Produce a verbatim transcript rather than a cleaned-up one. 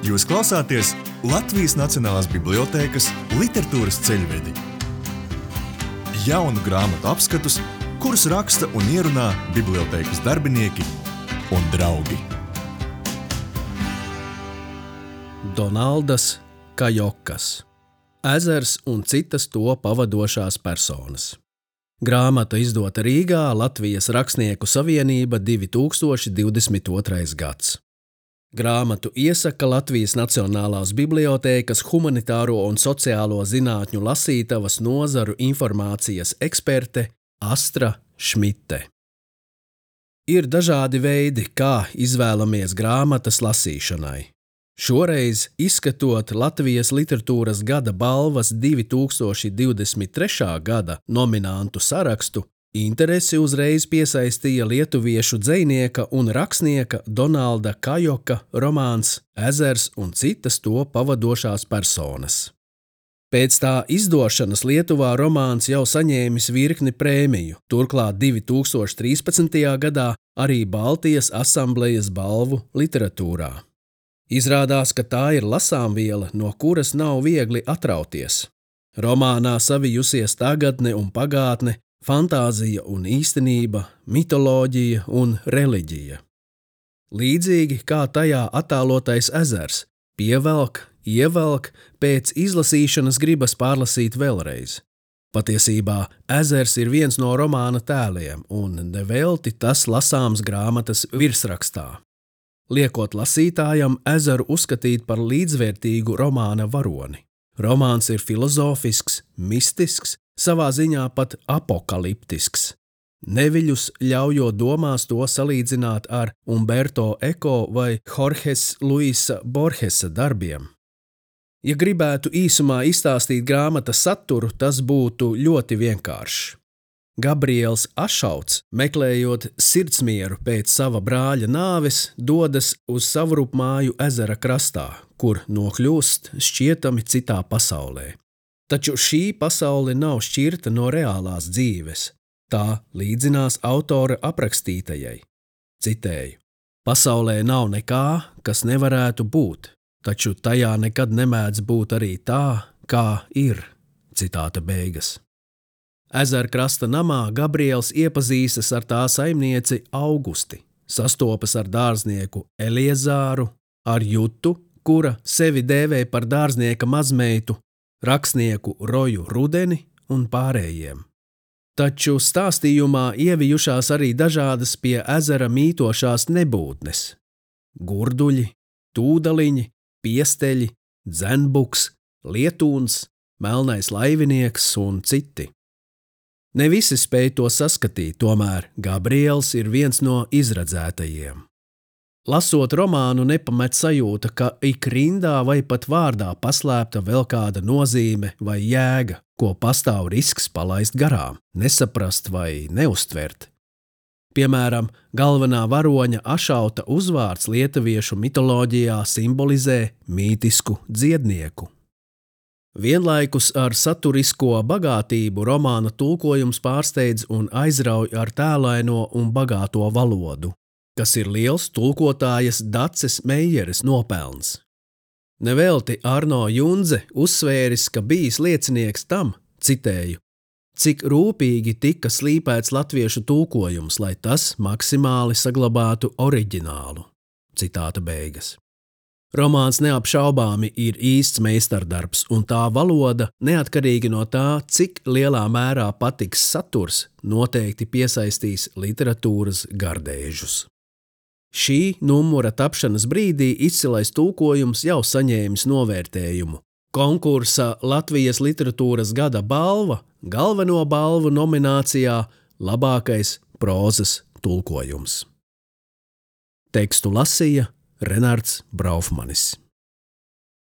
Jūs klausāties Latvijas Nacionālās bibliotēkas literatūras ceļvedi. Jaunu grāmatu apskatus, kurus raksta un ierunā bibliotēkas darbinieki un draugi. Donaldas Kajokas. Ezers un citas to pavadošās personas. Grāmata izdota Rīgā, Latvijas Rakstnieku savienība, divi tūkstoši divdesmit otrais gads. Grāmatu iesaka Latvijas Nacionālās bibliotēkas humanitāro un sociālo zinātņu lasītavas nozaru informācijas eksperte Astra Šmite. Ir dažādi veidi, kā izvēlamies grāmatas lasīšanai. Šoreiz, izskatot Latvijas literatūras gada balvas divi tūkstoši divdesmit trešā gada nominantu sarakstu, interesi uzreiz piesaistīja lietuviešu dzejnieka un rakstnieka Donalda Kajoka romāns Ezers un citas to pavadošās personas. Pēc tā izdošanas Lietuvā romāns jau saņēmis virkni prēmiju, turklāt divi tūkstoši trīspadsmitajā gadā arī Baltijas asamblejas balvu literatūrā. Izrādās, ka tā ir lasāmviela, no kuras nav viegli atrauties. Romānā savijusies tagadne un pagātne, fantāzija un īstenība, mitoloģija un reliģija. Līdzīgi kā tajā attēlotais ezers, pievelk, ievelk, pēc izlasīšanas gribas pārlasīt vēlreiz. Patiesībā ezers ir viens no romāna tēliem, un nevelti tas lasāms grāmatas virsrakstā. Liekot lasītājam ezeru uzskatīt par līdzvērtīgu romāna varoni. Romāns ir filozofisks, mistisks, savā ziņā pat apokaliptisks. Neviļus ļaujot domās to salīdzināt ar Umberto Eco vai Jorges Luisa Borgesa darbiem. Ja gribētu īsumā izstāstīt grāmatas saturu, tas būtu ļoti vienkāršs. Gabriels Ašauts, meklējot sirdsmieru pēc sava brāļa nāves, dodas uz Savrupmāju ezera krastā, kur nokļūst šķietami citā pasaulē. Taču šī pasaule nav šķirta no reālās dzīves. Tā līdzinās autora aprakstītajai. Citēju: pasaulē nav nekā, kas nevarētu būt, taču tajā nekad nemēdz būt arī tā, kā ir. Citāta beigas. Ezerkrasta namā Gabriels iepazīstas ar tā saimnieci Augusti, sastopas ar dārznieku Eliezāru, ar Jutu, kura sevi dēvē par dārznieka mazmeitu, rakstnieku Roju Rudeni un pārējiem. Taču stāstījumā ievijušās arī dažādas pie ezera mītošās nebūtnes – gurduļi, tūdaliņi, piesteļi, dzenbuks, lietūns, melnais laivinieks un citi. Ne visi spēj to saskatīt, tomēr Gabriels ir viens no izredzētajiem. Lasot romānu, nepamet sajūta, ka ik rindā vai pat vārdā paslēpta vēl kāda nozīme vai jēga, ko pastāv risks palaist garām, nesaprast vai neuztvert. Piemēram, galvenā varoņa Ašauta uzvārds lietuviešu mitoloģijā simbolizē mītisku dziednieku. Vienlaikus ar saturisko bagātību romāna tulkojums pārsteidz un aizrauj ar tēlaino un bagāto valodu, kas ir liels tulkotājas Daces Meijeres nopelns. Nevelti Arno Junze uzsvēris, ka bijis liecinieks tam, citēju, cik rūpīgi tika slīpēts latviešu tulkojums, lai tas maksimāli saglabātu oriģinālu. Citāta beigas. Romāns neapšaubāmi ir īsts meistardarbs, un tā valoda, neatkarīgi no tā, cik lielā mērā patiks saturs, noteikti piesaistīs literatūras gardēžus. Šī numura tapšanas brīdī izcilais tulkojums jau saņēmis novērtējumu. Konkursa Latvijas literatūras gada balva galveno balvu nominācijā labākais prózas tulkojums. Tekstu lasīja Renards Braufmanis.